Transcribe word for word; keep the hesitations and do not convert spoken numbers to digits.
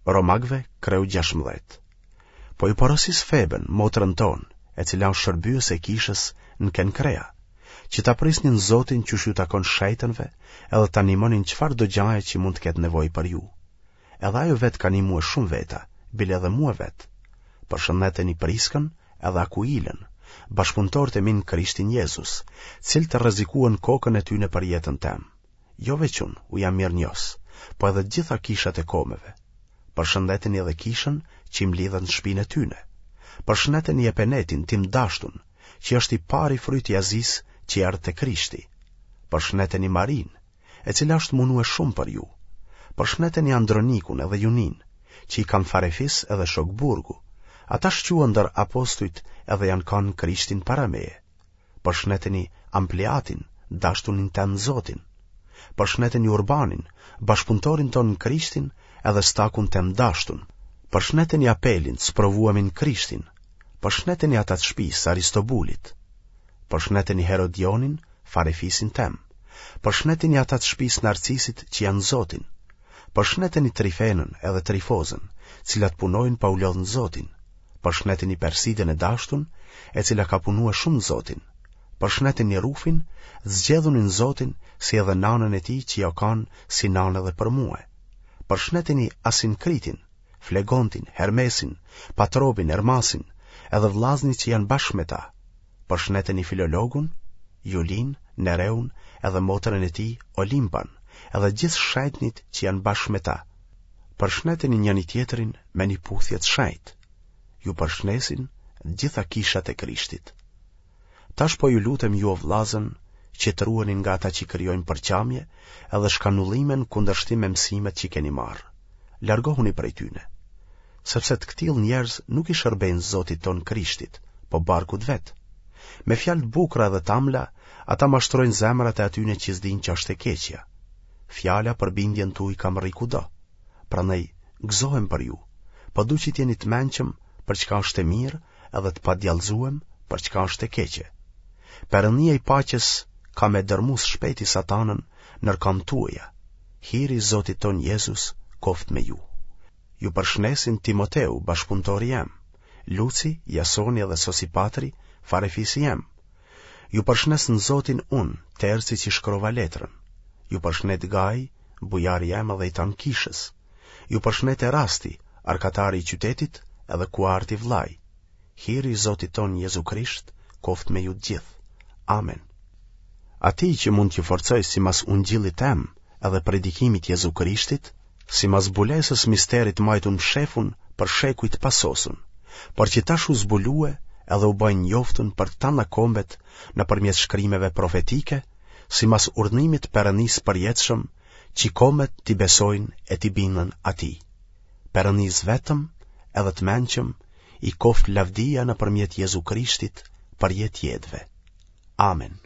Romakëve kreu gjashtëmbëdhjetë. Po ju porosis Feben, motrën tonë, e cila është shërbyese e kishës në Kenkrea, që ta prisni në Zotin qysh ju takon shejtënve edhe ta nimoni në çfarëdo gjaje që mund të ketë nevojë për ju. Edhe ajo vetë ka nimue shumë veta, bile edhe mue vetë. Përshëndeteni Priskën edhe Akuilën, bashkëpunëtorët e mi në Krishtin Jezus, cilët rrezikuan kokën e tyne për jetën tem. Jo veç unë, u jam mirënjohës, po edhe të gjitha kishat e komeve. Përshëndeteni edhe kishën që mblidhet në shpinë e tyne. Përshëndeteni Epenetin, tim dashtun, që është i pari fryt i Azisë që erdh te Krishti. Përshëndeteni Marinë, e cila është munue shumë për ju. Përshëndeteni Andronikun edhe Juninë, që i kam farefis edhe shok burgu. Ata shquhen ndër apostujt edhe janë kanë në Krishtin para meje. Përshëndeteni Ampliatin, dashtunin tem në Zotin. Përshëndeteni Urbanin, bashkëpunëtorin tonë në Krishtin edhe Stakun tem dashtun. Përshëndeteni Apelin, sprovuemin në Krishtin. Përshëndeteni ata të shtëpisë Aristobulit. Përshëndeteni Herodionin, farefisin tem. Përshëndeteni ata të shtëpisë Narcisit që janë në Zotin. Përshëndeteni Trifenën edhe Trifozën, cilat punojnë pa u lodhë në Zotin. Përshëndeteni Persidën e dashtun, e cila ka punue shumë në Zotin. Përshëndeteni Rufin, zgjedhunin në Zotin, si edhe nanën e tij që jo kanë si nanë edhe për mue. Përshëndeteni Asinkritin, Flegontin, Hermesin, Patrobin, Ermasin, edhe vllaznit që janë bashkë me ta. Përshëndeteni Filologun, Julin, Nereun, edhe motrën e tij, Olimpan, edhe gjithë shejtnit që janë bashkë me ta. Përshëndeteni njëri tjetrin me një puthje të shenjtë. Ju përshëndesin gjitha kishat e Krishtit. Tash po ju lutem ju o vllazën që të ruheni nga ata që krijojnë përçamje edhe shkanullime në kundërshtim me mësimet që keni marrë. Largohuni prej tyne. Sepse të këtillë njerëz nuk i shërbejnë Zotit tonë Krishtit, po barkut vet. Me fjalë të bukura edhe t'amla, ata mashtrojnë zemrat e atyne që s'dinë që është e keqja. Fjala për bindjen tuaj ka mrri kudo. Prandaj gëzohem për ju, po du që të jeni të mençëm për çka është e mirë edhe të padjallëzuem për çka është e keqe. Perëndia i paqes ka me dërmu së shpejti satanën nër kamb tuaja. Hiri i Zotit ton Jezus koftë me ju. Ju përshëndesin Timoteu, bashkëpunëtori jem, Luci, Jasoni edhe Sosipatri, farefisi jem. Ju përshëndes në Zotin unë, Terci që shkrova letrën. Ju përshëndet Gaj, bujari jem edhe i tanë kishës. Ju përshëndet Erasti, arkatari i qytetit, edhe Kuarti vllai. Hiri i Zotit ton Jezu Krisht, koftë me ju të gjithë. Amen. Atij që mund t'ju forcoj simas ungjillit tem edhe predikimit Jezu Krishtit, simas zbulesës misterit majtun mshefun për shekuj të pasosun, por që tash u zbulue edhe u bë i njoftun për tana kombet nëpërmjet shkrimeve profetike, simas urdhnimit Perëndisë përjetshëm, që kombet t'i besojnë e t'i binden atij. Perëndisë vetëm edhe të mençëm i koftë lavdia nëpërmjet Jezu Krishtit për jetë jetëve. Amen.